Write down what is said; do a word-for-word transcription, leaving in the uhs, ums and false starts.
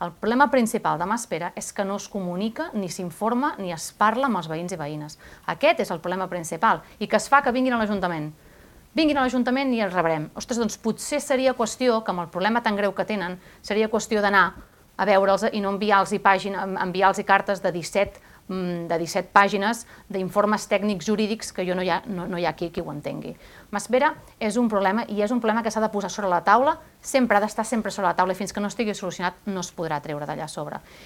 El problema principal de Maspera és que no es comunica, ni s'informa, ni es parla amb els veïns i veïnes. Aquest és el problema principal i que es fa que vinguin a l'Ajuntament. Vinguin a l'Ajuntament i els rebrem. Ostres, doncs potser seria qüestió, que amb el problema tan greu que tenen, seria qüestió d'anar a veure'ls i no enviar-los enviar-los cartes de disset de disset pàgines d'informes tècnics jurídics que jo no hi ha, no, no hi ha qui, qui ho entengui. Maspera és un problema i és un problema que s'ha de posar sobre la taula, sempre ha d'estar sempre sobre la taula i fins que no estigui solucionat no es podrà treure d'allà a sobre.